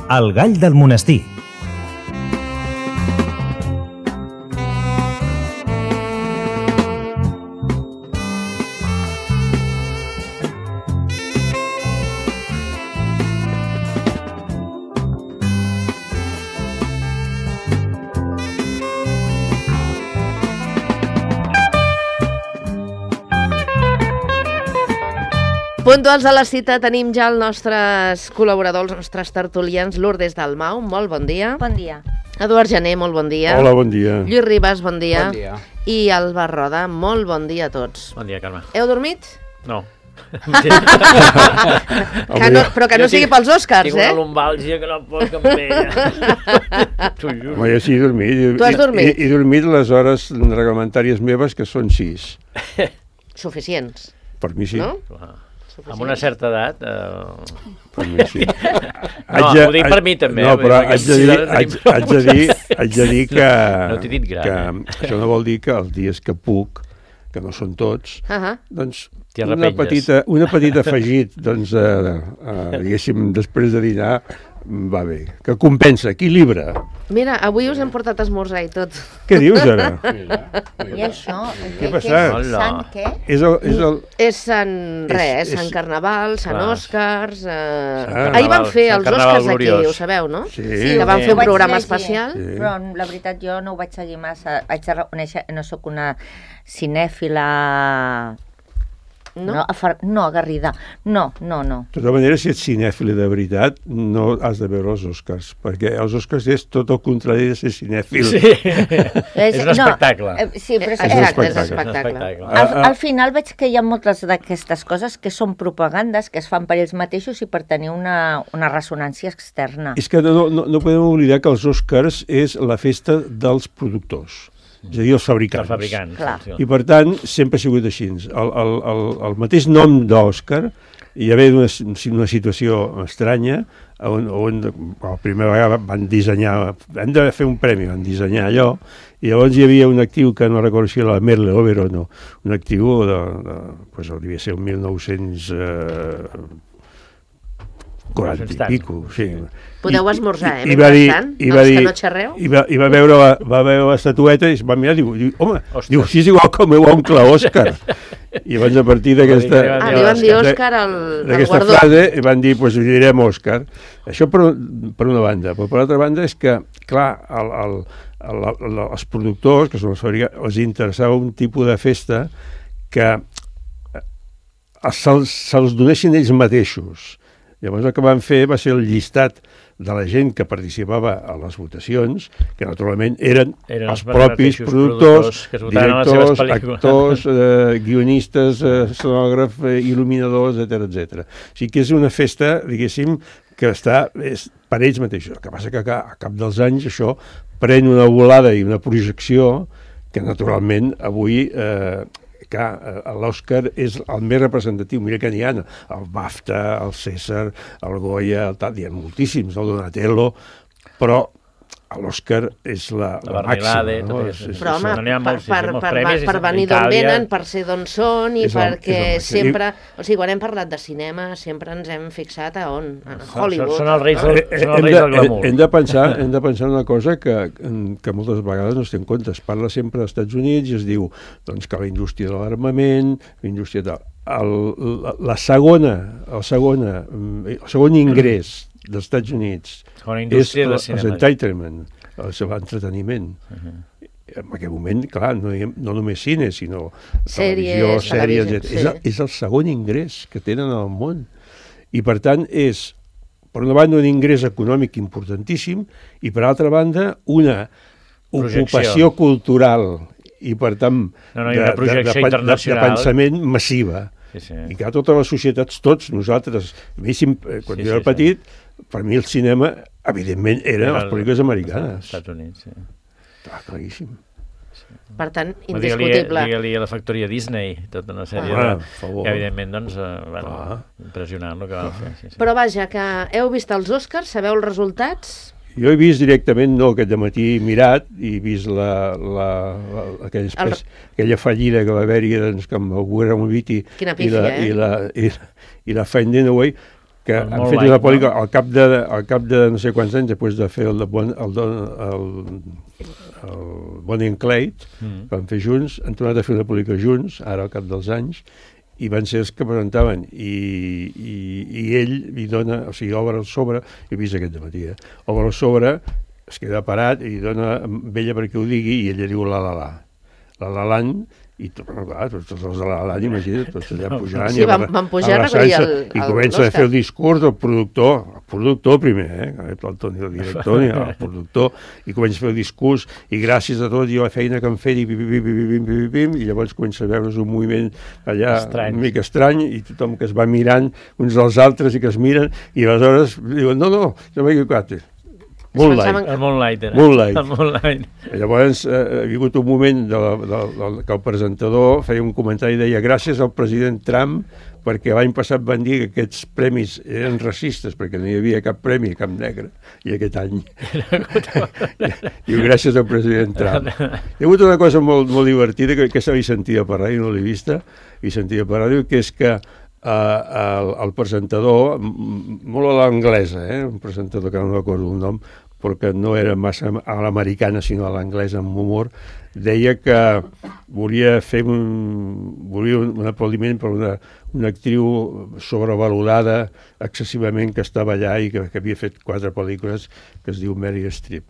El gall del monestir. Puntuals a la cita tenim ja els nostres col·laboradors, els nostres tertulians. Lourdes Dalmau, molt bon dia. Bon dia. Eduard Jané, molt bon dia. Hola, bon dia. Lluís Ribas, bon dia. Bon dia. I Alba Roda, molt bon dia a tots. Bon dia, Carme. Heu dormit? No. Però que no sigui pels Oscars, Tinc una lumbàlgia que no pot cap amb ella. T'ho juro. Home, jo sí he dormit. Tu has dormit? He dormit les hores reglamentàries meves, que són 6. Suficients, Per mi sí. no? Amb una certa edat... Per mi sí. No, ho dic per mi també. No, però perquè haig de dir que... No t'he dit gran, que això no vol dir que els dies que puc, que no són tots, doncs T'hi una petita afegit, doncs, diguéssim, després de dinar, va bé. Que compensa, equilibra. Mira, avui us hem portat esmorzar i tot. Què dius, ara? I això? Què ha passat? Sant què? És Sant res, Sant Carnaval, Sant Clar. Oscars... Carnaval, Ahir van fer Sant els Carnaval Oscars aquí, gloriós. ho sabeu, no? Sí. Que van fer un ho vaig programa llegir, especial. Sí. Però la veritat jo no ho vaig seguir massa. Haig de reconèixer, no sóc una cinèfila... No? No, agarrida. No. De tota manera, si ets cinèfil de veritat, no has de veure els Oscars, perquè els Oscars és tot el contrari de ser cinèfil. Sí, és un espectacle. Sí, però Exacte, és espectacle. espectacle. Al final veig que hi ha moltes d'aquestes coses que són propagandes que es fan per ells mateixos i per tenir una ressonància externa. És que no podem oblidar que els Oscars és la festa dels productors, és a dir, els fabricants. Els fabricants. Clar. Sí. I per tant, sempre ha sigut així. El mateix nom d'Òscar hi va haver una situació estranya on la primera vegada van dissenyar, hem de fer un premi, van dissenyar allò, i llavors hi havia un actiu que no recordo si era la Merle Oberon, un actiu pues, devia ser un 1940 i pico, sí. Podeu esmorzar, I va dir, mentrestant, els que no xerreu. I va veure l'estatueta i es va mirar i diu, home, Ostres. si és igual que el meu oncle Òscar. I llavors a partir d'aquesta... Li van dir Òscar al guardó. frase i van dir, doncs li direm Òscar. Això per una banda. Però per l'altra banda és que, clar, els productors, que són els fabricants, els interessava un tipus de festa que se'ls donessin ells mateixos. Llavors el que van fer va ser el llistat de la gent que participava a les votacions, que naturalment eren els propis productors, directors, actors, guionistes, escenògrafs, il·luminadors, etc. O sigui que és una festa, diguéssim, que està per ells mateixos. El que passa que a cap dels anys això pren una volada i una projecció que naturalment avui... l'Òscar és el més representatiu. Mira que n'hi ha, el BAFTA, el César, el Goya, hi ha moltíssims, el Donatello, però l'Òscar és la màxima. No? Però home, per venir d'on venen, per ser d'on són i perquè sempre... O sigui, quan hem parlat de cinema sempre ens hem fixat a on? A Hollywood. Són els reis del glamour. Hem de pensar una cosa que moltes vegades no es té en compte. Es parla sempre dels Estats Units i es diu doncs, que la indústria de l'armament, la indústria de... El segon ingrés dels Estats Units és l'entertainment, l'entreteniment. En aquest moment, clar, no només cine, sinó televisió, sèries, etc. És el segon ingrés que tenen al món. I, per tant, és, per una banda, un ingrés econòmic importantíssim i, per altra banda, una ocupació cultural i, per tant, de pensament massiva. I que a totes les societats, tots nosaltres, quan jo era petit, per mi el cinema, evidentment, eren les pel·lícules americanes. Estats Units, sí. Claríssim. Per tant, indiscutible. Digue-li a la factoria Disney, tota una sèrie que, evidentment, doncs, impressionant el que van fer. Però vaja, que heu vist els Oscars, sabeu els resultats? Jo he vist directament, no, aquest dematí mirat, i he vist aquella fallida que va haver-hi doncs, amb el Warren Beatty i la Finding Away, que han fet una pel·lícula al cap de no sé quants anys, després de fer el Bonnie and Clyde, que van fer junts, han tornat a fer una pel·lícula junts, ara al cap dels anys, i van ser els que presentaven, i ell li dona, o sigui, obre el sobre, he vist aquest dematí, obre el sobre, es queda parat i dona vella perquè ho digui, i ella diu la la land, i clar, tots els de l'Alan, imagina't, tots allà pujant i van pujar a recollir i comença a fer el discurs del productor primer, el Toni, el director, el productor, i comença a fer el discurs, i gràcies a tot, i la feina que han fet, i llavors comença a veure's un moviment allà una mica estrany, i tothom que es va mirant uns dels altres i que es miren, i aleshores diuen, no, jo m'he equivocat. Moonlight. I llavors ha hagut un moment que el presentador feia un comentari i deia gràcies al president Trump perquè l'any passat van dir que aquests premis eren racistes perquè no hi havia cap premi a cap negre i aquest any diu gràcies al president Trump. Hi ha hagut una cosa molt divertida que aquesta l'he sentit per ràdio, no l'he vista, i sentia per ràdio, que és que el presentador, molt a l'anglesa, un presentador que no recordo el nom, perquè no era massa a l'americana sinó a l'anglesa amb humor, deia que volia fer un aplaudiment per una actriu sobrevalorada excessivament que estava allà i que havia fet 4 pel·lícules, que es diu Meryl Streep.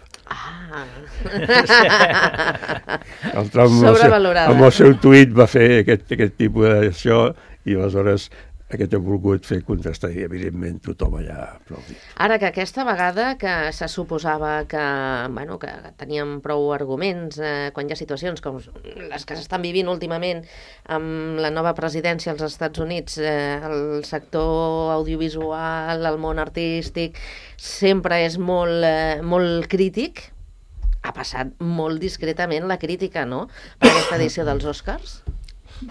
El Trump amb el seu tuit va fer aquest tipus d'això i aleshores aquest ha volgut fer contrastar i evidentment tothom allà aplaudit. Ara que aquesta vegada que se suposava que teníem prou arguments quan hi ha situacions com les que s'estan vivint últimament amb la nova presidència als Estats Units, el sector audiovisual, el món artístic sempre és molt crític, ha passat molt discretament la crítica, no?, per aquesta edició dels Oscars.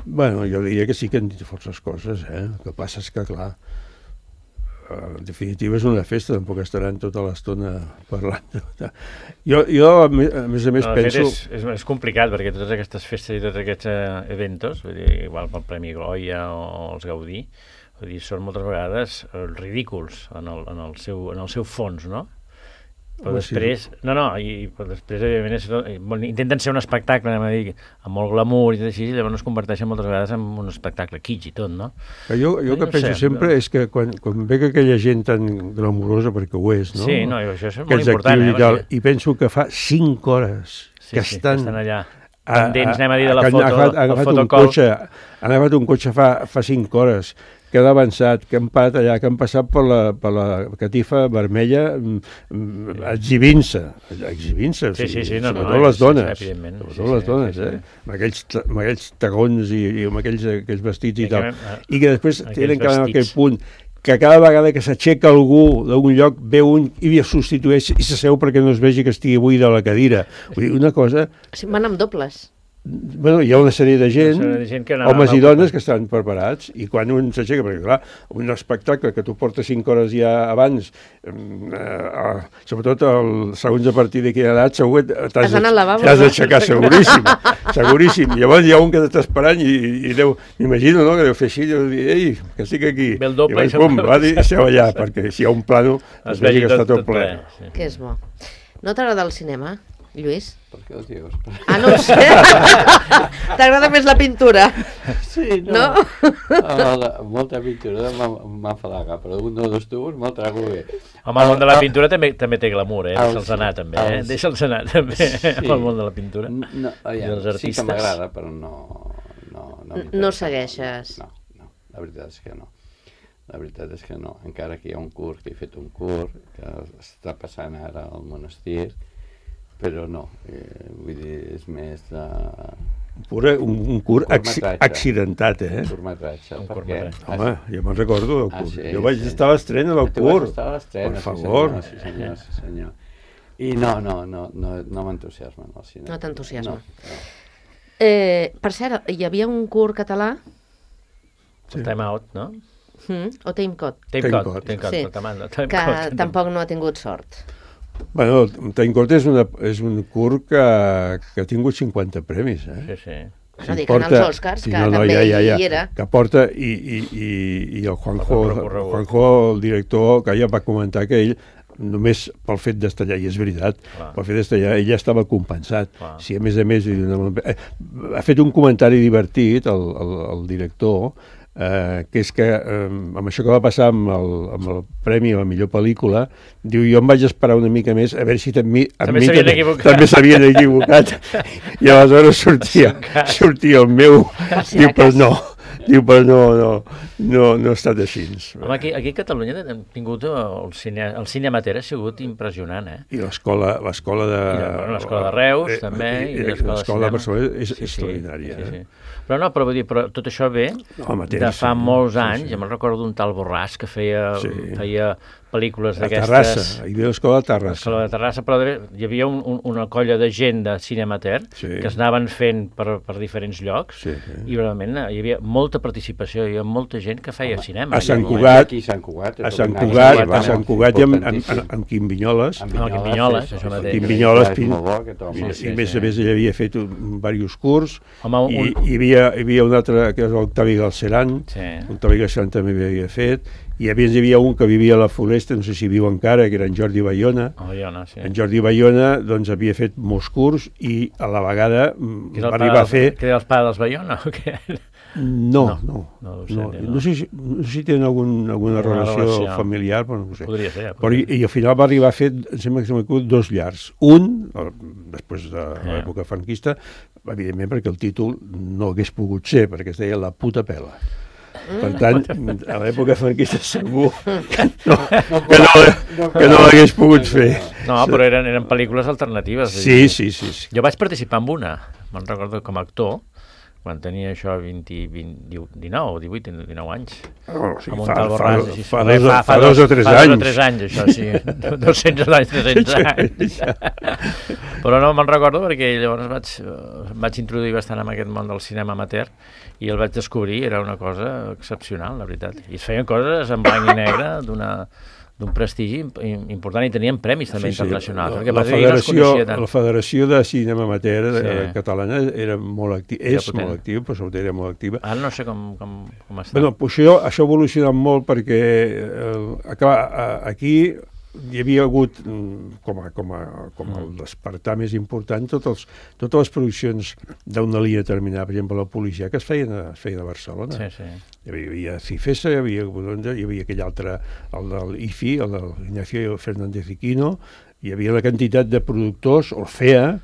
Bueno, jo diria que sí que han dit forces coses, El que passa és que, clar, en definitiva és una festa, tampoc estaran tota l'estona parlant. Jo a més penso... És complicat, perquè totes aquestes festes i tots aquests eventos, vull dir, igual pel Premi Goya o els Gaudí, vull dir, són moltes vegades ridículs en el seu fons, no? Però després, evidentment, intenten ser un espectacle, amb molt glamour i tot així, i llavors es converteixen moltes vegades en un espectacle kitsch i tot, no? Jo que penso sempre és que quan veig aquella gent tan glamurosa, perquè ho és, no? Sí, això és molt important. I penso que fa 5 hores que estan allà pendents, anem a dir, de la fotocol. Han agafat un cotxe fa 5 hores, que han avançat, que han parat allà, que han passat per la catifa vermella exhibint-se, sobretot les dones, amb aquells tagons i amb aquells vestits i tal, i que després tenen que anar a aquell punt que cada vegada que s'aixeca algú d'algun lloc ve un i substitueix i s'asseu perquè no es vegi que estigui buida la cadira. Vull dir, una cosa... Van amb dobles. Bueno, hi ha una sèrie de gent, homes i dones, que estan preparats, i quan un s'aixeca, perquè clar, un espectacle que tu portes 5 hores ja abans, sobretot segons a partir de quina edat, segur que t'has d'aixecar, seguríssim. Llavors hi ha un que t'està esperant i m'imagino, no?, que deu fer així, deu dir, ei, que estic aquí. Ve el doble i pum, va dir, seu allà, perquè si hi ha un plano, es vegi que està tot ple. Que és bo. No t'agrada el cinema, Lluís? Per què ho dius? No ho sé. T'agrada més la pintura? Sí, no? Molta pintura m'enfadaga, però un o dos tubos me'l trago bé. Home, el món de la pintura també té glamour, Deixa'ls anar, també, Deixa'ls anar, també, amb el món de la pintura. Sí que m'agrada, però no... No segueixes? No, la veritat és que no. La veritat és que no. Encara que hi ha un curs, que he fet un curs, que està passant ara al monestir, però no, vull dir, és més de... Un curt accidentat, Un curtmetratge, perquè... Home, jo me'n recordo del curt. Jo vaig estar a l'estrena del curt. Per favor. Sí, senyor. I no m'entusiasma el cinema. No t'entusiasma. Per cert, hi havia un curt català... Time Out, no? O Time Code. Time Code, que tampoc no ha tingut sort. Bueno, Time Code és un curt que ha tingut 50 premis, Sí. No dic en els Oscars, que també hi era. Que porta, i el Juanjo, el director, que ja va comentar que ell, només pel fet d'estar allà, i és veritat, pel fet d'estar allà, ell ja estava compensat. Si a més, ha fet un comentari divertit, el director, que és que amb això que va passar amb el premi a la millor pel·lícula, diu, jo em vaig esperar una mica més a veure si també s'havien equivocat, i aleshores sortia el meu, diu, però no ha estat així. Home, aquí a Catalunya hem tingut el cine amateur, ha sigut impressionant, I l'escola de... L'escola de Reus, també, i l'escola de Barcelona és extraordinària. Però vull dir, tot això ve de fa molts anys. Jo me'n recordo d'un tal Borràs que feia pel·lícules d'aquestes... A Terrassa, hi havia l'escola de Terrassa. L'escola de Terrassa, però hi havia una colla de gent de cine amateur que es anaven fent per diferents llocs i realment hi havia molta participació, hi havia molta gent que feia cinema. A Sant Cugat i amb Quim Vinyoles. Amb Quim Vinyoles, això mateix. Quim Vinyoles, i més a més ell havia fet diversos curs, i hi havia un altre, que és l'Octavi Galceran, l'Octavi Galceran també havia fet, i a més hi havia un que vivia a la Floresta, no sé si viu encara, que era en Jordi Bayona. En Jordi Bayona doncs, havia fet molts curs i a la vegada va arribar a fer... Que era el pare dels Bayona o què? No sé si tenen alguna relació familiar, però no ho sé. Podria ser. I al final va arribar a fer, em sembla que s'ha conegut, 2 llars. Un, després de l'època franquista, evidentment perquè el títol no hagués pogut ser, perquè es deia La puta pela. Per tant, a l'època franquista segur que no l'hagués pogut fer. No, però eren pel·lícules alternatives. Sí. Jo vaig participar en una, me'n recordo com a actor, quan tenia això 19 o 18, 19 anys. Fa 2 o 3 anys. Fa 2 o 3 anys, això, sí. 200 anys, 300 anys. Però no me'n recordo perquè llavors vaig introduir bastant en aquest món del cinema amateur i el vaig descobrir, era una cosa excepcional, la veritat. I es feien coses en blanc i negre d'un prestigi important i tenien premis també internacionals. La Federació de Cinema Amateur catalana era molt activa, molt activa, però sobretot era molt activa. Ara no sé com està. Bueno, això ha evolucionat molt perquè aquí hi havia hagut, com el despertar més important, totes les produccions d'una línia determinada, per exemple, la policia, que es feien a Barcelona. Hi havia Cifesa, hi havia aquell altre, el del IFI, el del Ignacio Fernández Iquino, hi havia una quantitat de productors, Orfea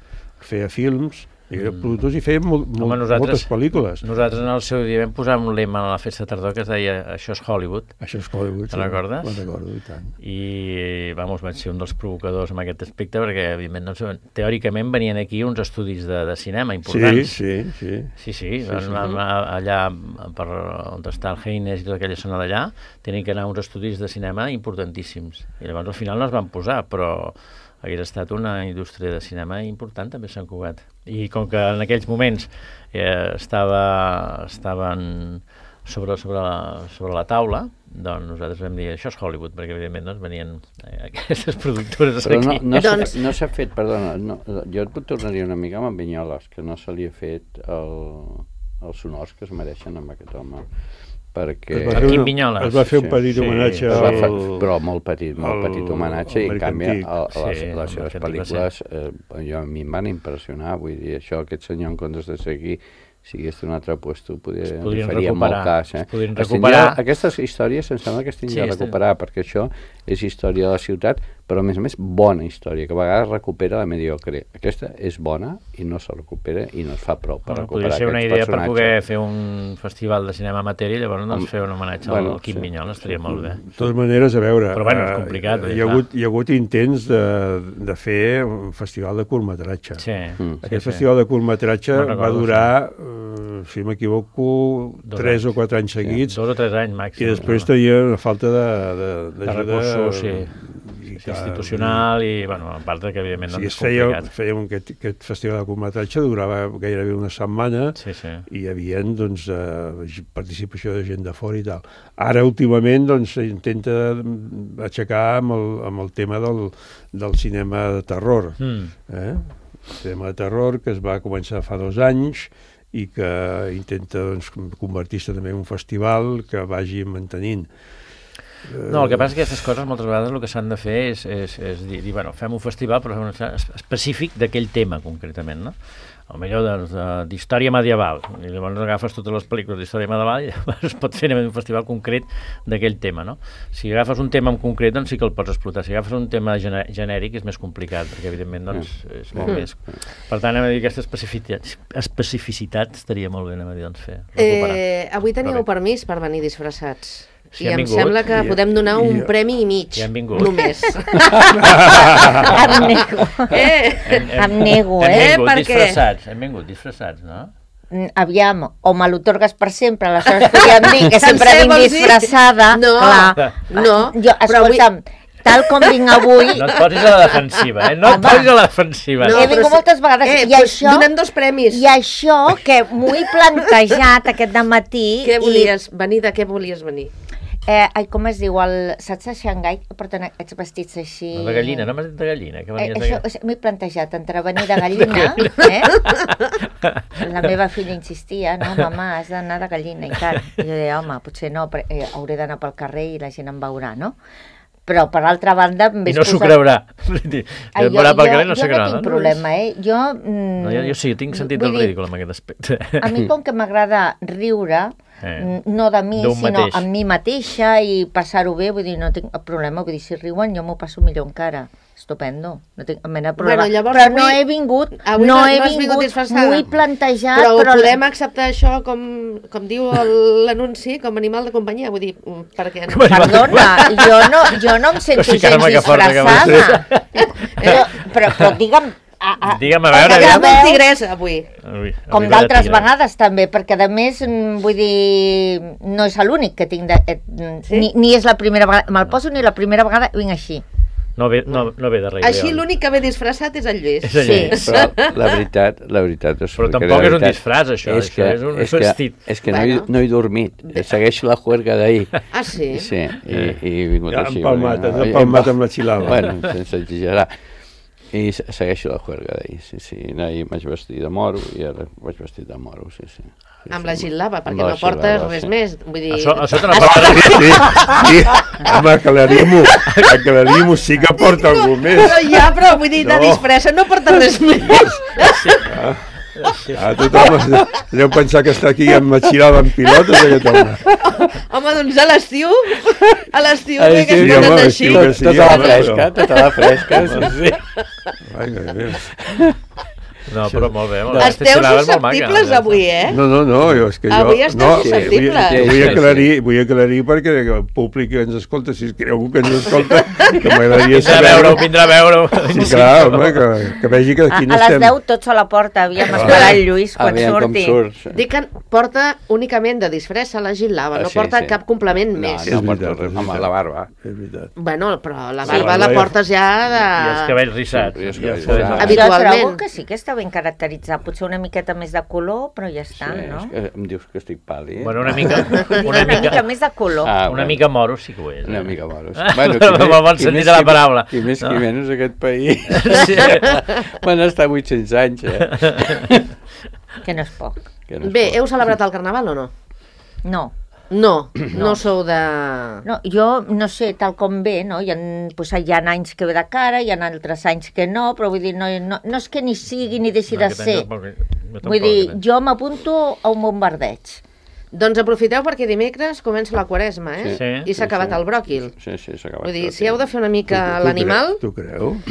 films, productors i feien moltes pel·lícules. Nosaltres en el seu dia vam posar un lema a la festa de tardor que es deia això és Hollywood. Això és Hollywood, te'n recordes? Me'n recordo, i tant. I vaig ser un dels provocadors en aquest aspecte perquè, evidentment, teòricament venien aquí uns estudis de cinema importants. Sí. Allà per on està el Heines i tota aquella zona d'allà tenien que anar uns estudis de cinema importantíssims. I llavors al final no es van posar, però hagués estat una indústria de cinema important també a Sant Cugat. I com que en aquells moments estaven sobre la taula, doncs nosaltres vam dir això és Hollywood, perquè evidentment venien aquestes productores aquí. No s'ha fet, perdona, jo et tornaria una mica amb Vinyoles, que no se li ha fet els honors que es mereixen amb aquest home. Perquè es va fer un petit homenatge però molt petit homenatge, i en canvi les seves pel·lícules a mi em van impressionar, vull dir, aquest senyor en comptes de seguir si hagués d'un altre lloc faria molt cas. Aquestes històries em sembla que es tindria de recuperar, perquè això és història de la ciutat, però a més bona història, que a vegades recupera la mediocre. Aquesta és bona i no se recupera i no es fa prou per recuperar aquests personatges. Podria ser una idea per poder fer un festival de cinema amateur i llavors fer un homenatge al Quim Vinyoles, estaria molt bé. De totes maneres, a veure, però és complicat. Hi ha hagut intents de fer un festival de curtmetratge. Aquest festival de curtmetratge va durar, si m'equivoco, 3 o 4 anys seguits. 2 o 3 anys màxim. I després tenia una falta d'ajuda institucional i, a part que evidentment és complicat. Fèiem aquest festival de curtmetratge, durava gairebé una setmana i hi havia participació de gent de fora i tal. Ara, últimament, s'intenta aixecar amb el tema del cinema de terror. El cinema de terror que es va començar fa 2 anys i que intenta convertir-se també en un festival que vagi mantenint. No, el que passa és que aquestes coses moltes vegades el que s'han de fer és dir, bueno, fem un festival però específic d'aquell tema concretament, no? Potser d'història medieval, i llavors agafes totes les pel·lícules d'història medieval i es pot fer un festival concret d'aquell tema, no? Si agafes un tema en concret, doncs sí que el pots explotar. Si agafes un tema genèric és més complicat, perquè evidentment doncs, és molt més... Per tant, aquesta especificitat estaria molt bé, doncs, fer. Avui teníeu permís per venir disfressats. I em sembla que podem donar un premi i mig, només. Em nego, Hem vingut disfressats, no? Aviam, o me l'otorgues per sempre, aleshores podríem dir que sempre vinc disfressada. No, escolta'm, tal com vinc avui... No et posis a la defensiva, No et posis a la defensiva. He vingut moltes vegades i això... Donem 2 premis. I això que m'ho he plantejat aquest dematí... Què volies venir? De què volies venir? Com es diu, saps a Xangai que porten aquests vestits així... De gallina, no m'has dit de gallina? Això m'he plantejat, entre venir de gallina, La meva filla insistia, no, mama, has d'anar de gallina i tal. I jo deia, home, potser no, hauré d'anar pel carrer i la gent em veurà, no? Però, per l'altra banda... I no s'ho creurà. Jo no tinc problema, Jo sí, tinc sentit del ridícul en aquest aspecte. A mi, com que m'agrada riure, no de mi, sinó amb mi mateixa i passar-ho bé, vull dir, no tinc problema, vull dir, si riuen jo m'ho passo millor encara. Estupendo, no tinc mena de problema. Però no he vingut, m'ho he plantejat... Però podem acceptar això, com diu l'anunci, com a animal de companyia, vull dir, perquè... Perdona, jo no em sento gens disfressada. Però digue'm... Digue'm, a veure... Digue'm el tigrès, avui. Com d'altres vegades, també, perquè, a més, vull dir, no és l'únic que tinc... Ni és la primera vegada... Me'l poso ni la primera vegada vinc així. No ve de rei. Així l'únic que ve disfressat és el Lluís. Sí. Però la veritat és... Però tampoc és un disfràs, això. És un vestit. És que no he dormit. Segueixo la juerga d'ahir. Ah, sí? Sí, i he vingut així. Empalmat amb la xilava. Bueno, sense exagerar. I segueixo la juerga d'ahir, sí. Ahir vaig vestir de moro i ara vaig vestir de moro, sí. Amb la gil·lava, perquè no portes res més. Vull dir... Això te no portes. Sí, home, aclarim-ho, sí que porta algú més. Però vull dir, de disfressa no porta res més. Tothom deu pensar que està aquí amb la xilava en pilotes aquest home. Home, doncs a l'estiu que es ponen així. Tota la fresca, sí. No, però molt bé. Esteu susceptibles avui, No, és que jo... Avui esteu susceptibles. Vull aclarir perquè el públic que ens escolta, si és algú que ens escolta, que m'agradaria saber... Vindrà a veure-ho. Sí, clar, home, que vegi que aquí no estem... A les 10 tots a la porta, havíem esperat el Lluís quan surti. Dic que porta únicament de disfressa la gil·lava, no porta cap complement més. No porta res, home, la barba. És veritat. Bueno, però la barba la portes ja de... I els cabells rissats. Habitualment. Trobo que sí que està ben caracteritzat, potser una miqueta més de color, però ja està, no? Sí, em dius que estic pàl·lid. Bueno, una mica més de color. Una mica moro sí que ho és. Una mica moro. Bueno, amb el bon sentit de la paraula. Qui més qui menys aquest país. Van estar 800 anys, Que no és poc. Bé, heu celebrat el Carnaval o no? No. No sou de... No, jo no sé, tal com ve, no? Hi ha anys que ve de cara, hi ha altres anys que no, però vull dir, no és que ni sigui ni deixi de ser. Vull dir, jo m'apunto a un bombardeig. Doncs aprofiteu perquè dimecres comença la Quaresma, I s'ha acabat el bròquil. Sí, s'ha acabat. Vull dir, si heu de fer una mica l'animal... Tu creus?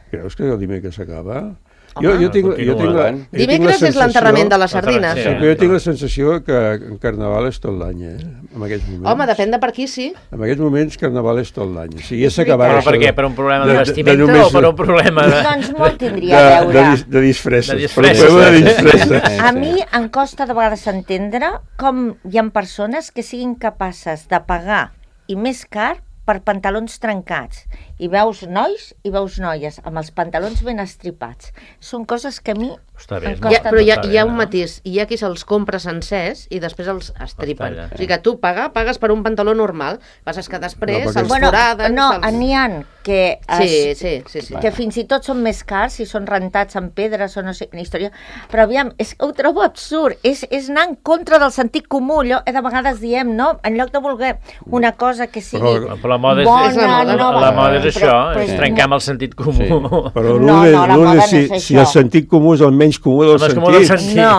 Creus que el dimecres s'acaba? Dimecres és l'enterrament de les sardines. Sí, però jo tinc la sensació que en Carnaval és tot l'any, en aquests moments. Home, depèn de per qui, sí. En aquests moments Carnaval és tot l'any. O sigui, ja s'acabarà... Però per què? Per un problema de vestimenta o per un problema de... Doncs molt tindria a veure. De disfresses. A mi em costa de vegades entendre com hi ha persones que siguin capaces de pagar, i més car, per pantalons trencats. I veus nois i veus noies amb els pantalons ben estripats. Són coses que a mi em costen. Però hi ha un matís. Hi ha qui se'ls compra sencers i després els estripen. O sigui que tu pagues per un pantaló normal. Passa que després se'ls foraden... No, n'hi ha que que fins i tot són més cars si són rentats en pedres o no sé quina història, però aviam, ho trobo absurd, és anar en contra del sentit comú, allò de vegades diem, no? En lloc de voler una cosa que sigui però la moda és això, és trencar amb el sentit comú. Però Lourdes, si el sentit comú és el menys comú del sentit. No,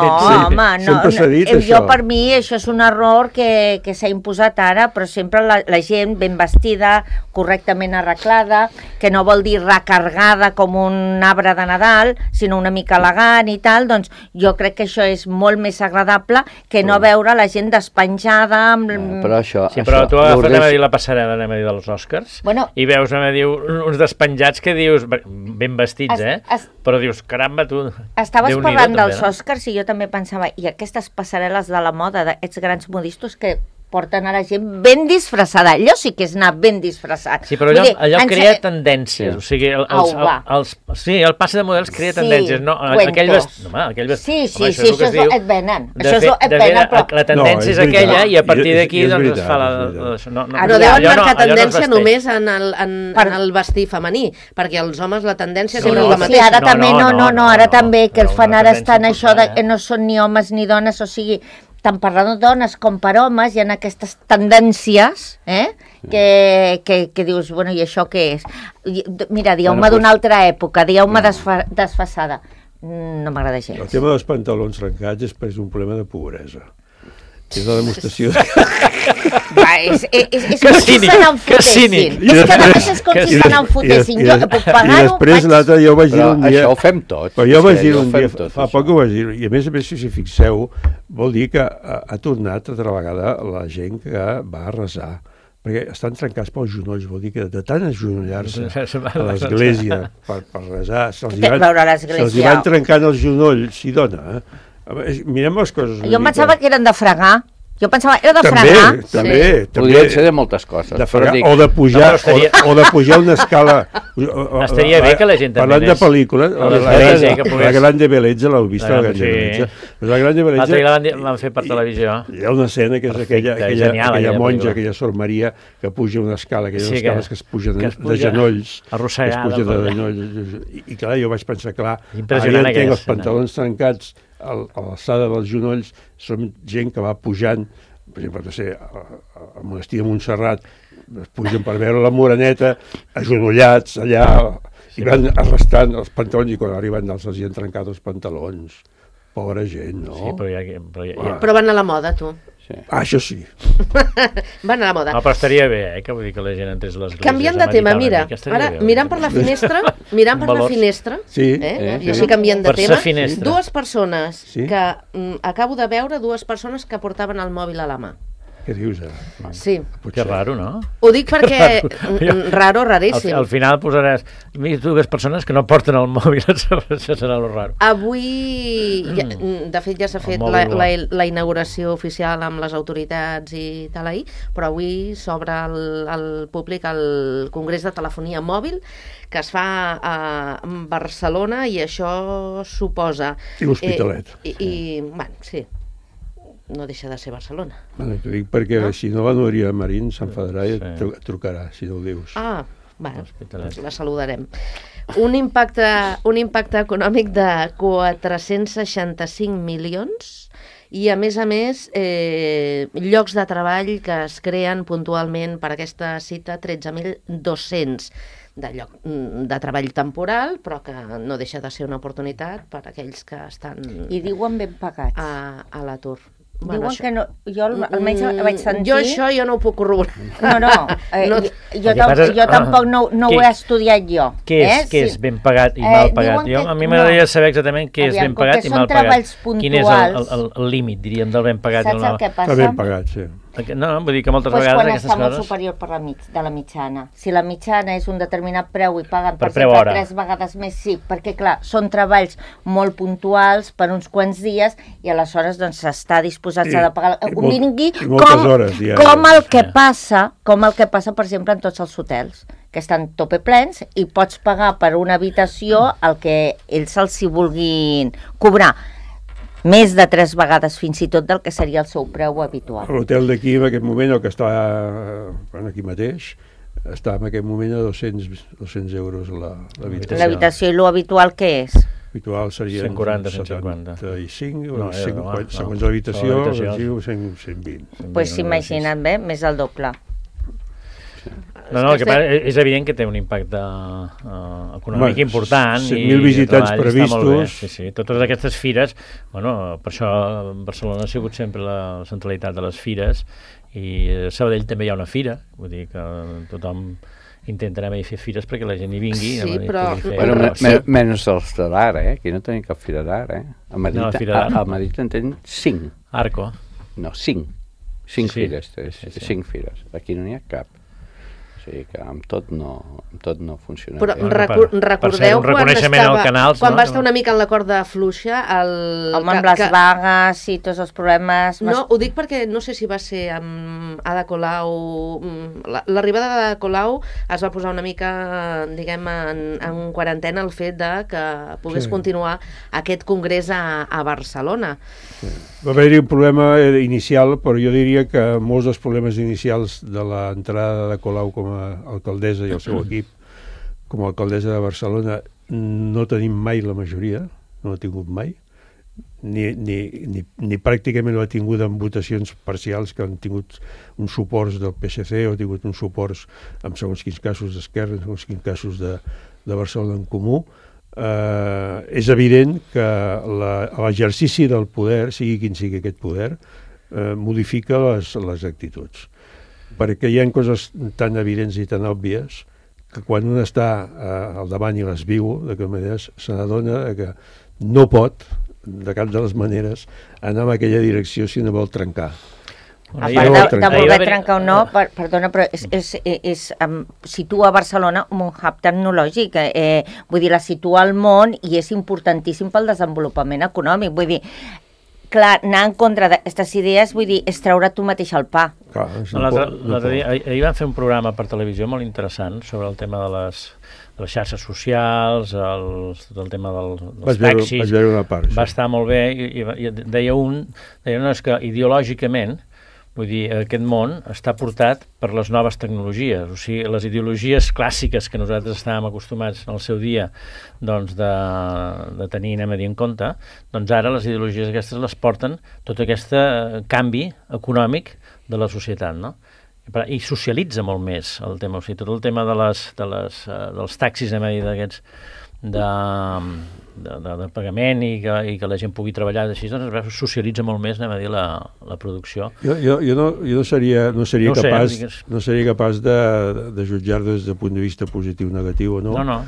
home, sempre s'ha dit això. Jo, per mi, això és un error que s'ha imposat ara, però sempre la gent ben vestida, correctament arreglada, que no vol dir recargada com un arbre de Nadal, sinó una mica elegant i tal, doncs jo crec que això és molt més agradable que no veure la gent despenjada amb... Però això... Sí, però tu agafes la passarel·la dels Oscars i veus uns despenjats que dius, ben vestits, però dius, caramba, tu... Estaves parlant dels Oscars i jo també pensava, i aquestes passarel·les de la moda, d'aquests grans modistos que porten a la gent ben disfressada. Allò sí que és anar ben disfressat. Sí, però allò crea tendències. O sigui, el passe de models crea tendències. Sí, això et venen. La tendència és aquella i a partir d'aquí es fa la... No deuen marcar tendència només en el vestir femení, perquè els homes la tendència sempre és la mateixa. Sí, ara també, ara també, que els fan ara estan això que no són ni homes ni dones, o sigui... tant per les dones com per homes hi ha aquestes tendències que dius, bueno, i això què és? Mira, dieu-me d'una altra època, dieu-me desfasada. No m'agrada gens. El tema dels pantalons trencats és un problema de pobresa. És la demostració és com si se n'enfotessin. És que només és com si se n'enfotessin. Jo puc pagar-ho... I després l'altre jo vaig dir un dia... Això ho fem tots. Però jo vaig dir un dia, fa poc ho vaig dir, i a més, si fixeu, vol dir que ha tornat altra vegada la gent que va a resar, perquè estan trencats pels genolls, vol dir que de tant agenollar-se a l'església per resar, se'ls van trencant els genolls, i dona, mirem les coses. Jo em pensava que eren de fregar. Jo pensava, era de fregar. També. Podrien ser de moltes coses. O de pujar una escala. Estaria bé que la gent també... Parlant de pel·lícules, la Grande Bellezza, l'heu vist, la Grande Bellezza? La Grande Bellezza... L'altre l'han fet per televisió. Hi ha una escena que és aquella monja, aquella Sor Maria, que puja una escala, aquelles escales que es pugen de genolls. Arrossegada. Que es pugen de genolls. I clar, jo vaig pensar, clar, ara ja entenc els pantalons trencats a l'alçada dels genolls, són gent que va pujant, per exemple, no sé, al monestir de Montserrat, es pugen per veure la Moreneta, agenollats allà, i van arrastrant els pantalons, i quan arriben els hi han trencat els pantalons. Pobra gent, no? Sí, però van a la moda, tu. Sí. Això sí. Van a la moda. No, però estaria bé, que vull dir que la gent entrés a l'església. Canviant de tema, mira, ara mirant per la finestra, i així canviant de tema, dues persones que acabo de veure, dues persones que portaven el mòbil a la mà. Què dius, ara? Sí. Que raro, no? Ho dic perquè... raríssim. Al final posaràs dues persones que no porten el mòbil, això serà lo raro. Avui, de fet ja s'ha fet la inauguració oficial amb les autoritats i tal ahir, però avui s'obre al públic el Congrés de Telefonia Mòbil que es fa a Barcelona i això suposa... I l'Hospitalet. Bueno, sí. No deixa de ser Barcelona. T'ho dic perquè si no la Núria Marín s'enfadarà i et trucarà, si no ho dius. Bueno, la saludarem. Un impacte econòmic de 465 milions i, a més, llocs de treball que es creen puntualment per aquesta cita, 13.200 de treball temporal, però que no deixa de ser una oportunitat per a aquells que estan... I diuen ben pagats. A l'atur. Diuen que no, jo almenys vaig sentir... Jo això no ho puc corroborar. Jo tampoc no ho he estudiat jo. Què és ben pagat i mal pagat? A mi m'agradaria saber exactament què és ben pagat i mal pagat. Quin és el límit, diríem, del ben pagat i el mal pagat? Saps el que passa? Ben pagat, sí. No, vull dir que moltes vegades aquestes coses... Quan està molt superior de la mitjana. Si la mitjana és un determinat preu i paguen, per exemple, 3 vegades més, sí, perquè, clar, són treballs molt puntuals per uns quants dies i aleshores doncs està disposats a pagar... Vingui com el que passa, per exemple, en tots els hotels, que estan tope plens i pots pagar per una habitació el que ells els hi vulguin cobrar. Més de 3 vegades fins i tot del que seria el seu preu habitual. L'hotel d'aquí, en aquest moment, el que està aquí mateix, està en aquest moment a 200 euros l'habitació. L'habitació i l'habitual què és? Habitual serien 140, 75, segons l'habitació, 120. Doncs s'imaginen bé, més del doble. No, el que passa és evident que té un impacte econòmic important. 100.000 visitants previstos. Sí. Totes aquestes fires, per això Barcelona ha sigut sempre la centralitat de les fires, i a Sabadell també hi ha una fira, vull dir que tothom intenta anar a fer fires perquè la gent hi vingui. Sí, però... Menys els de l'ara, aquí no tenim cap fira d'ara, A Madrid en tenen 5. Arco. No, 5. 5 fires, 5 fires. Aquí no n'hi ha cap. O sigui que amb tot no funciona però bé. Recordeu quan va estar una mica en la corda fluixa amb les vagues i tots els problemes... No, ho dic perquè no sé si va ser amb Ada Colau... L'arribada d'Ada Colau es va posar una mica, diguem, en quarantena el fet de que pogués continuar aquest congrés a Barcelona. Sí. Va haver-hi un problema inicial, però jo diria que molts dels problemes inicials de l'entrada de Colau com a alcaldessa i el seu equip com a alcaldessa de Barcelona no tenim mai la majoria, no l'ha tingut mai, ni pràcticament l'ha tingut en votacions parcials que han tingut uns suports del PSC o han tingut uns suports en segons quins casos d'Esquerra, en segons quins casos de Barcelona en Comú. És evident que l'exercici del poder, sigui quin sigui aquest poder, modifica les actituds. Perquè hi ha coses tan evidents i tan òbvies que quan un està al davant i les viu, de que maneres se n'adona que no pot, de cap de les maneres, anar en aquella direcció si no vol trencar. A part de voler trencar o no, perdona, però situa Barcelona un hub tecnològic, vull dir, la situa al món i és importantíssim pel desenvolupament econòmic, vull dir, clar, anar en contra d'aquestes idees, vull dir, és treure tu mateix el pa. Ahir van fer un programa per televisió molt interessant sobre el tema de les xarxes socials, tot el tema dels taxis. Vaig veure una part. Va estar molt bé i deia que ideològicament, vull dir, aquest món està portat per les noves tecnologies, o sigui, les ideologies clàssiques que nosaltres estàvem acostumats en el seu dia doncs de tenir, anem a dir, en compte, doncs ara les ideologies aquestes les porten tot aquest canvi econòmic de la societat, no? I socialitza molt més el tema, o sigui, tot el tema dels taxis, anem a dir, d'aquests de pagament i que la gent pugui treballar així, doncs socialitza molt més, anem a dir, la producció. Jo no seria capaç de jutjar des del punt de vista positiu, negatiu o no. No.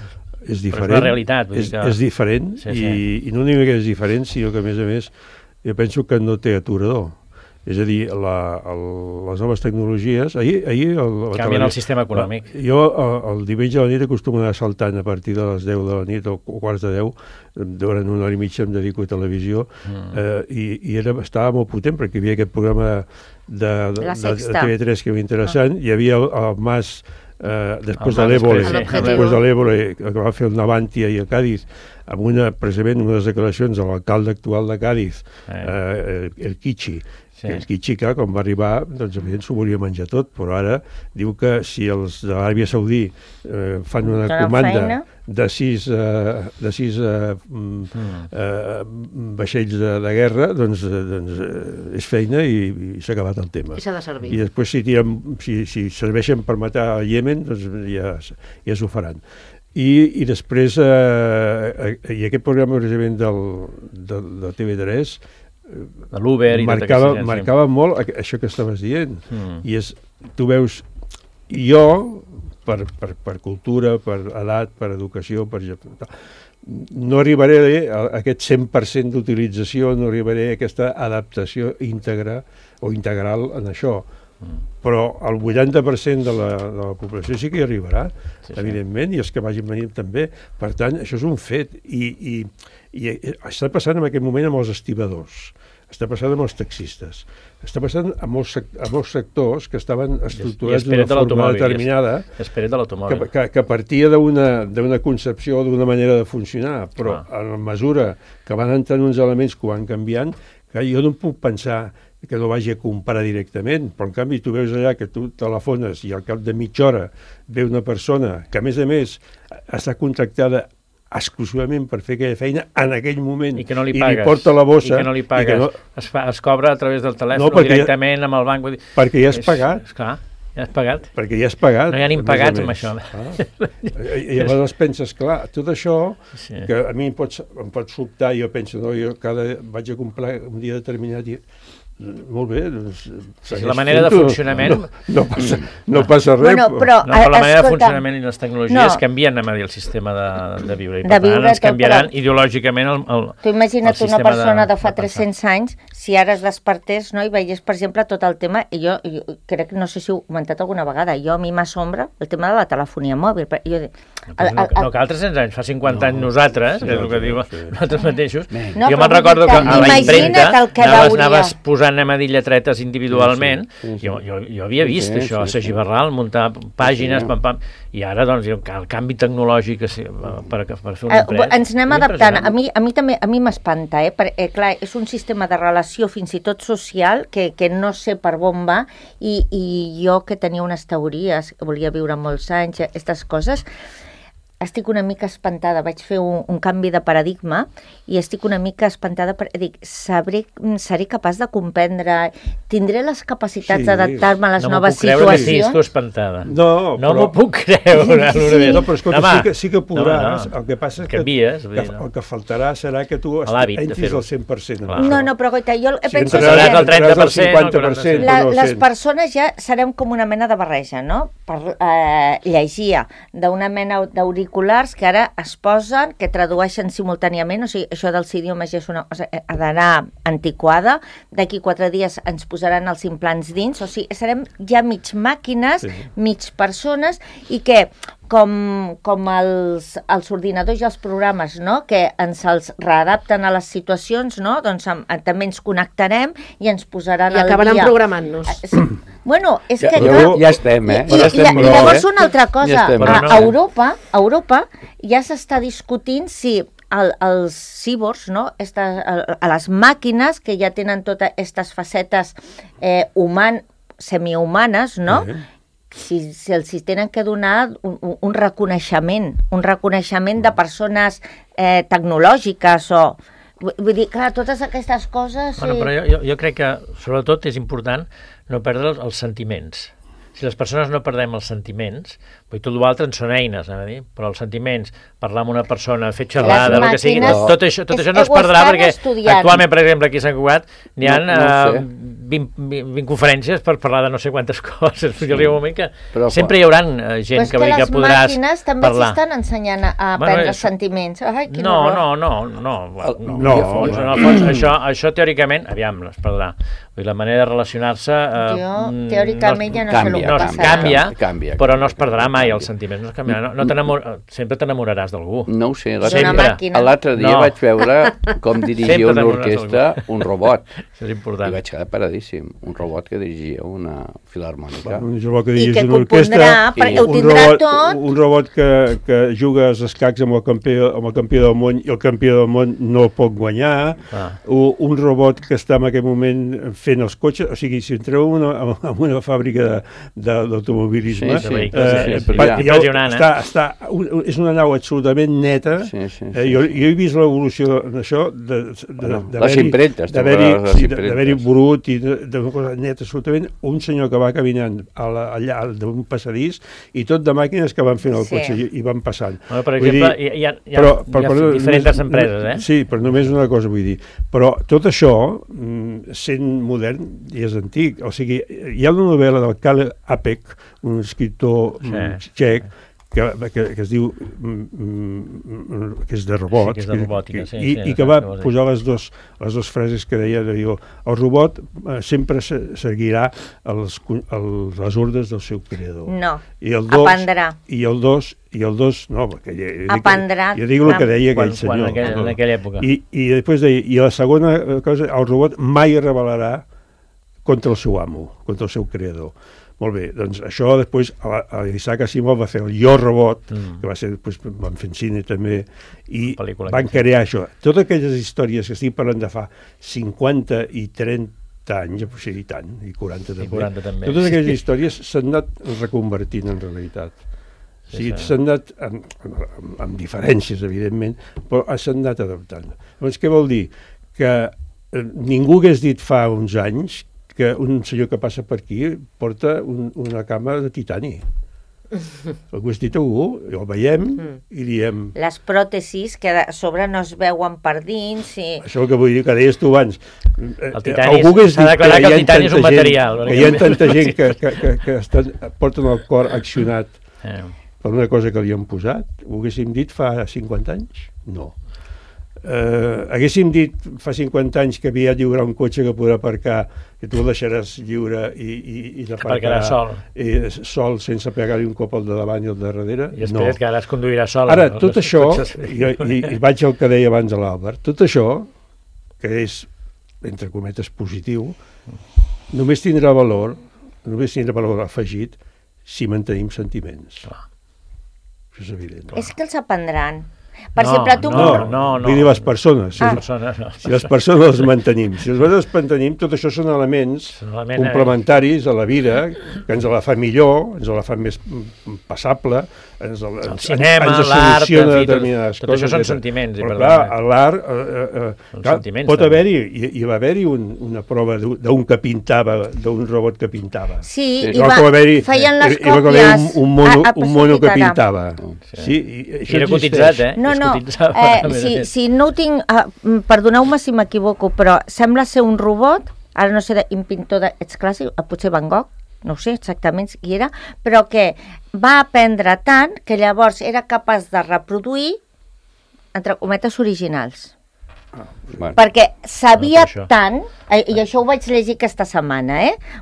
És diferent. Però és la realitat. És diferent i no dic que és diferent, sinó que a més jo penso que no té aturador. És a dir, les noves tecnologies... Canvien el sistema econòmic. Jo el diumenge a la nit acostumo a anar saltant a partir de les 10 de la nit o quarts de 10, durant una hora i mitja em dedico a televisió, i estava molt potent perquè hi havia aquest programa de TV3 que era interessant, hi havia el Mas després de l'Ébola que va fer el Navantia i a Càdiz, amb precisament unes declaracions de l'alcalde actual de Càdiz, el Kichi. El Kichika, quan va arribar, doncs evident s'ho volia menjar tot, però ara diu que si els de l'Aràbia Saudí fan una comanda de sis vaixells de guerra, doncs és feina i s'ha acabat el tema. I s'ha de servir. I després si serveixen per matar a Iemen, doncs ja s'ho faran. I després i aquest programa precisament de TV3 de l'Uber marcava molt això que estaves dient, i tu veus, jo per cultura, per edat, per educació, no arribaré a aquest 100% d'utilització, no arribaré a aquesta adaptació íntegra o integral en això, però el 80% de la població sí que hi arribarà, evidentment, i els que vagin venint també. Per tant, això és un fet, i està passant en aquest moment amb els estibadors, està passant amb els taxistes, està passant amb molts sectors que estaven estructurats d'una forma determinada, que partia d'una concepció, d'una manera de funcionar, però a la mesura que van entrant uns elements que ho van canviant, que jo no puc pensar que no vagi a comprar directament, però en canvi tu veus allà que tu telefones i al cap de mitja hora ve una persona que a més està contractada exclusivament per fer aquella feina en aquell moment i que no li pagues, i li porta la bossa i que no li pagues, es cobra a través del telèfon directament amb el banc, perquè ja has pagat, esclar, ja has pagat, perquè ja has pagat, no hi ha ni pagats amb això. I llavors penses, clar, tot això que a mi em pot sobtar, jo penso, no, jo vaig a comprar un dia determinat i molt bé, doncs... La manera de funcionament... No passa res. Bueno, però la manera de funcionament i les tecnologies canvien, anem a dir, el sistema de viure. I per tant ens canviaran ideològicament el sistema. Tu imagina't una persona de fa 300 anys, si ara es despertés, no, i veiés, per exemple, tot el tema, i jo crec, no sé si ho he comentat alguna vegada, a mi m'assombra el tema de la telefonia mòbil. No cal 300 anys, fa 50 anys nosaltres, que és el que diu nosaltres mateixos. Jo me'n recordo que a la impremta anaves posant anem a dir lletretes individualment, jo havia vist això, a Sagibarral, muntar pàgines, i ara doncs el canvi tecnològic per fer un impret... Ens anem adaptant, a mi m'espanta, perquè clar, és un sistema de relació fins i tot social que no sé per on va, i jo que tenia unes teories, volia viure molts anys, aquestes coses, estic una mica espantada, vaig fer un canvi de paradigma i estic una mica espantada perquè dic, seré capaç de comprendre, tindré les capacitats d'adaptar-me a les noves situacions. No m'ho puc creure que estiguis tu espantada. No m'ho puc creure. No, però escolta, sí que podràs. El que passa és que el que faltarà serà que tu entris al 100%. No, però goita, jo penso que el 30%. Les persones ja serem com una mena de barreja, no? Llegia d'una mena d'auriculars que ara es posen, que tradueixen simultàniament, o sigui, això dels idiomes ja és una cosa, ha d'anar antiquada, d'aquí 4 dies ens posaran els implants dins, o sigui, serem ja mig màquines, mig persones, i que com els ordinadors i els programes, no?, que ens els readapten a les situacions, no?, doncs també ens connectarem i ens posaran al dia. I acabaran programant-nos. Bueno, és que... Ja estem, I llavors una altra cosa, a Europa ja s'està discutint si els cíborgs, no?, a les màquines que ja tenen totes aquestes facetes semihumanes, no?, si els tenen que donar un reconeixement de persones tecnològiques o... Vull dir, clar, totes aquestes coses... Bueno, però jo crec que, sobretot, és important no perdre els sentiments. Si les persones no perdem els sentiments, tot l'altre en són eines, però els sentiments, parlar amb una persona, fer xerrada, el que sigui, tot això no es perdrà, perquè actualment, per exemple, aquí a Sant Cugat n'hi ha 20 conferències per parlar de no sé quantes coses. Jo arriba un moment que sempre hi haurà gent que podràs parlar. Les màquines també s'estan ensenyant a aprendre sentiments. No, en el fons, això teòricament, aviam, es perdrà. La manera de relacionar-se... Teòricament ja no sé el que passarà. Canvia, però no es perdrà mai els sentiments, no es canviarà. Sempre t'enamoraràs d'algú. No ho sé, l'altre dia vaig veure com dirigia una orquestra un robot. Això és important. I vaig quedar paradíssim. Un robot que dirigia una filharmònica. Un robot que dirigia una orquestra, un robot que juga als escacs amb el campió del món i el campió del món no pot guanyar, un robot que està en aquell moment fent els cotxes, o sigui, si entreu en una fàbrica d'automobilisme, és una nau absolutament neta. Jo he vist l'evolució d'això, d'haver-hi brut i d'una cosa neta absolutament, un senyor que va caminant allà d'un passadís i tot de màquines que van fent el cotxe i van passant. Per exemple, hi ha diferents empreses, Sí, però només una cosa vull dir. Però tot això, sent modern, i és antic. O sigui, hi ha una novel·la del Karel Apek, un escriptor txec, que es diu que és de robot, i que va posar les dues frases que deia, el robot sempre seguirà les ordres del seu creador. No, aprendrà. I el dos, no, perquè aprendrà. Jo dic el que deia aquell senyor. En aquella època. I després deia, i la segona cosa, el robot mai es rebel·larà contra el seu amo, contra el seu creador. Molt bé, doncs això després l'Isaac Asimov va fer el Jo Robot, que va ser, després van fer cine també, i van crear això. Totes aquelles històries que estic parlant de fa 50 i 30 30 anys, sí, i tant, i 40 també. I 40 també. Totes aquelles històries s'han anat reconvertint en realitat. O sigui, s'han anat, amb diferències, evidentment, però s'han anat adaptant. Llavors, què vol dir? Que ningú hagués dit fa uns anys que un senyor que passa per aquí porta una cama de titani. Ho has dit algú, ho veiem i diem... Les pròtesis que a sobre no es veuen per dins i... Això el que vull dir, que deies tu abans. El titani, s'ha declarat que el titani és un material. Que hi ha tanta gent que porten el cor accionat per una cosa que li han posat. Ho haguéssim dit fa 50 anys? No. Haguéssim dit fa 50 anys que havia lliurar un cotxe que podrà aparcar, que tu el deixaràs lliure i aparcarà sol sense pegar-li un cop al de davant i al de darrere? I després que ara es conduirà sol. Ara, tot això, i vaig al que deia abans a l'Àlvar, tot això, que és, entre cometes, positiu, només tindrà valor afegit si mantenim sentiments. Això és evident. És que els aprendran. Per exemple, tu... No, vull dir les persones. Si les persones les mantenim. Si les mantenim, tot això són elements complementaris a la vida, que ens la fa millor, ens la fa més passable, el cinema, l'art, tot això són sentiments. Però clar, l'art pot haver-hi, hi va haver-hi una prova d'un que pintava, d'un robot que pintava. Sí, feien les còpies. Un mono que pintava. I era cotitzat, No, si no ho tinc... Perdoneu-me si m'equivoco, però sembla ser un robot, ara no sé, un pintor d'ets clàssic, potser Van Gogh, no ho sé exactament qui era, però que va aprendre tant que llavors era capaç de reproduir, entre cometes, originals. Perquè sabia tant, i això ho vaig llegir aquesta setmana,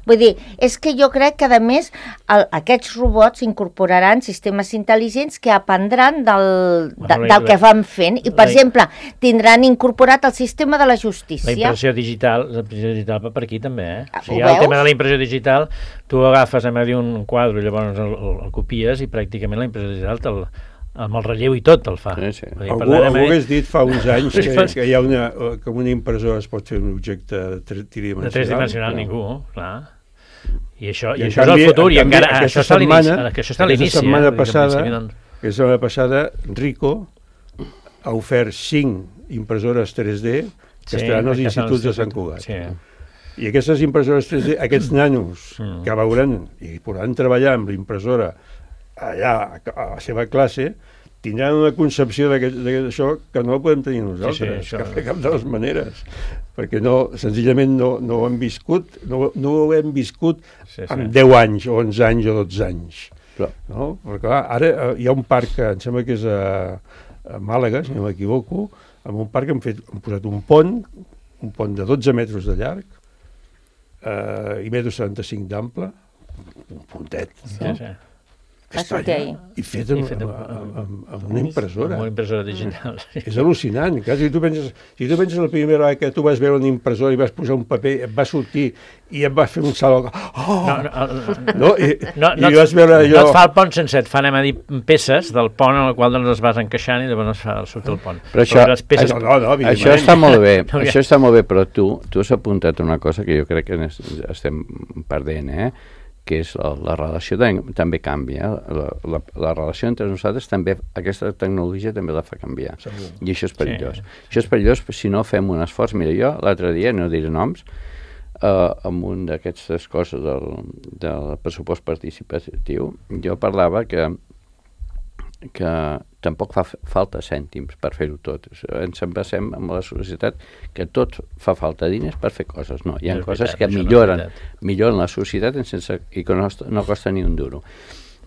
vull dir, és que jo crec que a més aquests robots incorporaran sistemes intel·ligents que aprendran del que van fent i, per exemple, tindran incorporat el sistema de la justícia. La impressió digital va per aquí també, o sigui, el tema de la impressió digital, tu agafes un quadre i llavors el copies i pràcticament la impressió digital amb el relleu i tot el fa. Algú hagués dit fa uns anys que hi ha que una impressora es pot fer un objecte tridimensional. De 3 dimensional ningú, clar. I això és el futur, i encara això està a l'inici. Aquesta setmana passada, Ricoh ha ofert 5 impressores 3D que estaran als instituts de Sant Cugat. I aquestes impressores 3D, aquests nanos que veuran i podran treballar amb l'impressora allà a la seva classe, tindran una concepció d'això que no la podem tenir nosaltres, de cap de les maneres, perquè senzillament no ho hem viscut, no ho hem viscut amb 10 anys, o 11 anys o 12 anys. Perquè clar, ara hi ha un parc que em sembla que és a Màlaga, si no m'equivoco, amb un parc han posat un pont de 12 metres de llarg i 1,75 d'ample, un puntet, i fet amb una impressora. Amb una impressora digital. És al·lucinant. Si tu penses la primera vegada que tu vas veure una impressora i vas posar un paper, et va sortir i et vas fer un salt... No et fa el pont sense, et fa, anem a dir, peces del pont en el qual es vas encaixant i llavors surt el pont. Però això està molt bé, això està molt bé, però tu has apuntat una cosa que jo crec que estem perdent, que és la relació també canvia, la relació entre nosaltres també, aquesta tecnologia també la fa canviar, i això és perillós. Això és perillós si no fem un esforç. Mira, jo l'altre dia, no diré noms, amb un d'aquestes coses del pressupost participatiu, jo parlava que tampoc fa falta cèntims per fer-ho tot. Ens basem en la societat que tot fa falta diners per fer coses. No, hi ha coses que milloren la societat i que no costa ni un duro.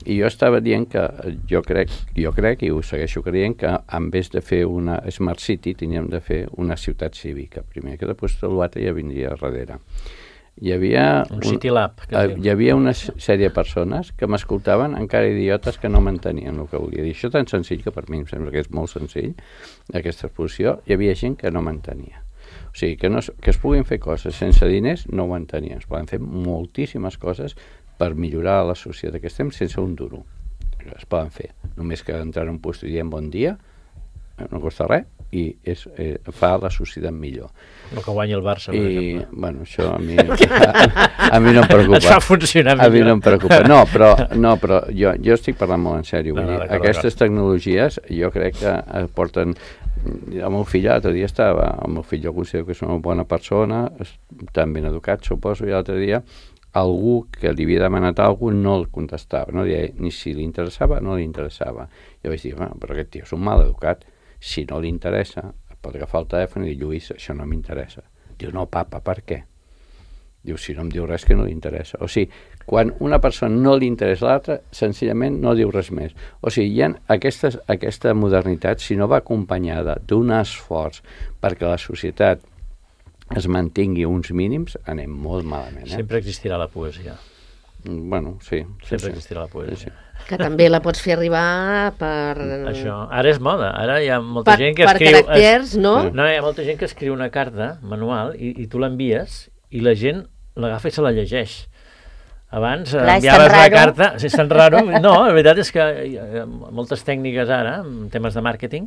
I jo estava dient que jo crec i ho segueixo creient que en vez de fer una Smart City teníem de fer una ciutat cívica primer, que després l'altre ja vindria darrere. Hi havia una sèrie de persones que m'escoltaven encara idiotes que no m'entenien el que volia dir. Això tan senzill, que per mi em sembla que és molt senzill, aquesta exposició, hi havia gent que no m'entenia. O sigui, que es puguin fer coses sense diners no ho entenien. Es poden fer moltíssimes coses per millorar la societat que estem sense un duro. Es poden fer. Només que entrar en un lloc i diem bon dia, no costa res, i fa la societat millor. El que guanya el Barça, per exemple. Bueno, això a mi no em preocupa. Et fa funcionar millor. A mi no em preocupa. No, però jo estic parlant molt en sèrio. Aquestes tecnologies jo crec que porten... El meu fill l'altre dia el meu fill jo considero que és una bona persona, tan ben educat, suposo, i l'altre dia algú que li havia demanat alguna cosa no el contestava, no deia ni si li interessava o no li interessava. Jo vaig dir, però aquest tio és un mal educat, si no li interessa, pot agafar el telèfon i dir, Lluís, això no m'interessa. Diu, no, papa, per què? Diu, si no em diu res que no li interessa. O sigui, quan una persona no li interessa l'altra, senzillament no diu res més. O sigui, hi ha aquesta modernitat, si no va acompanyada d'un esforç perquè la societat es mantingui uns mínims, anem molt malament. Sempre existirà la poesia. Bueno, sí. Sempre existirà la poesia. Que també la pots fer arribar per... Això. Ara és moda. Ara hi ha molta gent que escriu... Per caràcters, no? No, hi ha molta gent que escriu una carta manual i tu l'envies i la gent l'agafa i se la llegeix. Abans enviaves la carta... Sí, és tan raro. No, la veritat és que hi ha moltes tècniques ara, en temes de màrqueting,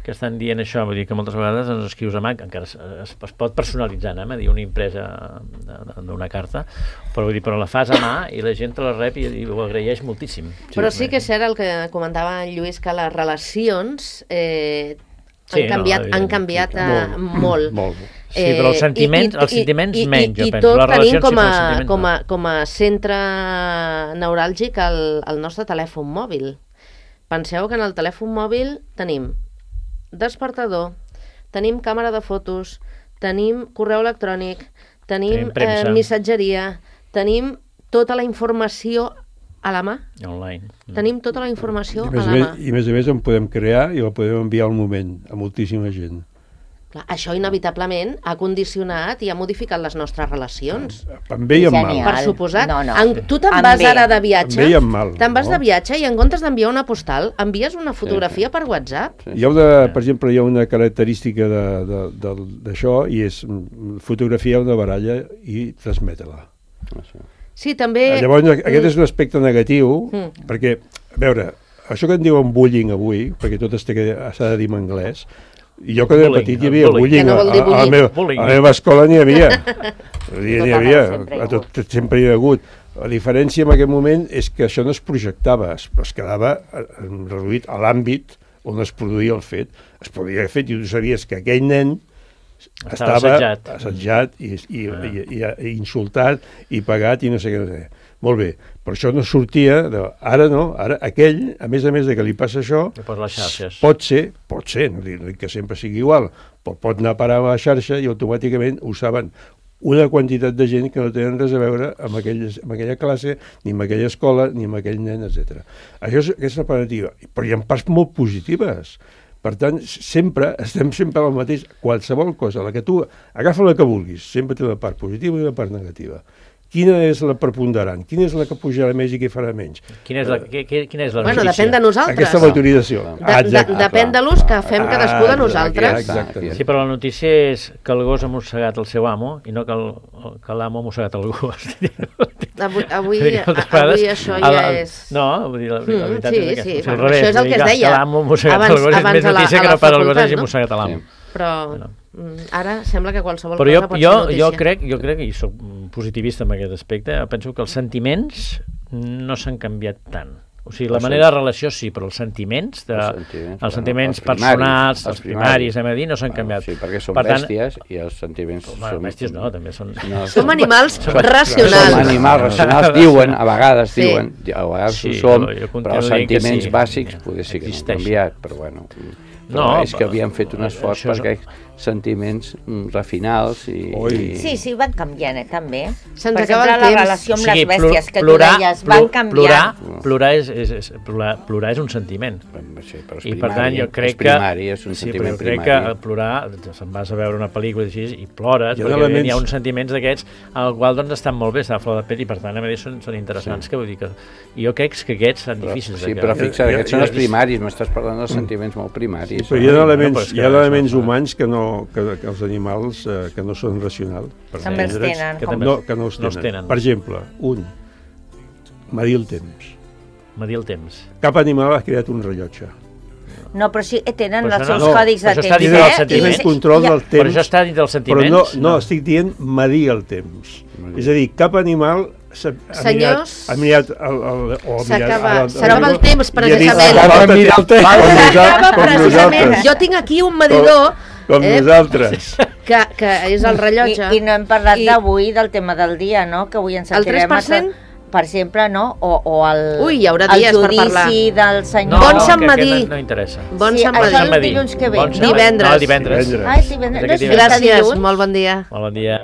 que estan dient això, vull dir que moltes vegades ens escrius a mà, encara es pot personalitzar, a dir una impresa d'una carta, però la fas a mà i la gent te la rep i ho agraeix moltíssim. Però sí que és cert el que comentava en Lluís, que les relacions han canviat molt. Sí, però els sentiments menys, jo penso. I tot tenim com a centre neuràlgic el nostre telèfon mòbil. Penseu que en el telèfon mòbil tenim despertador, tenim càmera de fotos, tenim correu electrònic, tenim missatgeria, tenim tota la informació a la mà. Online. Tenim tota la informació a la mà. I a més en podem crear i la podem enviar al moment a moltíssima gent. Clar, això inevitablement ha condicionat i ha modificat les nostres relacions. Em bé i en mal. Per suposat. Tu te'n vas ara de viatge, em bé i en mal. Te'n vas de viatge i en comptes d'enviar una postal, envies una fotografia per WhatsApp. Per exemple, hi ha una característica d'això i és fotografiar una baralla i transmetre-la. Sí, també... Llavors, aquest és un aspecte negatiu, perquè, a veure, això que en diuen bullying avui, perquè tot s'ha de dir en anglès, i jo quan era petit hi havia bullying, a la meva escola n'hi havia, sempre hi ha hagut. La diferència en aquest moment és que això no es projectava, es quedava reduït a l'àmbit on es produïa el fet. Es podia haver fet i tu sabies que aquell nen estava assetjat i insultat i pagat i no sé què. Molt bé, però això no sortia, ara no, ara aquell, a més de que li passa això, pot ser, no dic que sempre sigui igual, però pot anar a parar a la xarxa i automàticament ho saben una quantitat de gent que no tenen res a veure amb aquella classe, ni amb aquella escola, ni amb aquell nen, etc. Això és la part negativa, però hi ha parts molt positives. Per tant, estem sempre al mateix, qualsevol cosa, la que tu agafa la que vulguis, sempre té una part positiva i una part negativa. Quina és la preponderant? Quina és la que pujarà més i què farà menys? Quina és la notícia? Bueno, depèn de nosaltres. Aquesta autorització. Depèn de l'ús que fem cadascú de nosaltres. Sí, però la notícia és que el gos ha mossegat el seu amo i no que l'amo ha mossegat el gos. Avui això ja és... No, vull dir, la veritat és aquesta. Sí, això és el que es deia. Que l'amo ha mossegat el gos és més notícia que no per el gos hagi mossegat l'amo. Però ara sembla que qualsevol cosa pot ser notícia. Jo crec, i soc positivista en aquest aspecte, penso que els sentiments no s'han canviat tant. O sigui, la manera de relació sí, però els sentiments personals, els primaris, no s'han canviat. Sí, perquè són bèsties i els sentiments són... Bèsties no, també són... Som animals racionals. Som animals racionals, diuen, a vegades diuen, a vegades ho som, però els sentiments bàsics potser sí que no han canviat, però bueno... No, és que havíem fet un esforç perquè sentiments refinals i... Sí, van canviant, també. Se'ns acaba el temps. La relació amb les bèsties que tu deies van canviant. Plorar és un sentiment. Sí, però és i per tant jo crec que... és un sentiment primari. Crec que plorar, se'n vas a veure una pel·lícula i plores, perquè hi ha uns sentiments d'aquests al qual doncs estan molt bé, està a flor de pell i per tant a més són interessants, que vull dir que... Jo crec que aquests són difícils. Sí, però fixa't, aquests són els primaris, m'estàs parlant dels sentiments molt primaris. Però hi ha elements humans que els animals que no són racionals. També els tenen. Que no els tenen. Per exemple, medir el temps. Medir el temps. Cap animal ha creat un rellotge. No, però sí, tenen Però els això seus codis de això està temps. dins del sentiment. Tenen control del temps. Però això està dins dels sentiments. Però no, estic dient medir el temps. És a dir, cap animal Senyors, ha mirat s'acaba el temps, precisament. S'acaba mirar el temps. S'acaba precisament. Jo tinc aquí un medidor com nosaltres. que és el rellotge. I no hem parlat d'avui del tema del dia, no? Que avui ens sentirem... El 3%? Per exemple, no? O el, Ui, hi haurà dies per parlar. El judici del senyor... Bon Sant Madí. No interessa. Bon Sant Madí. Això és Madí. dilluns que ve, Bon no? Divendres. No, divendres. Ai, divendres. Gràcies, molt bon dia. Molt bon dia.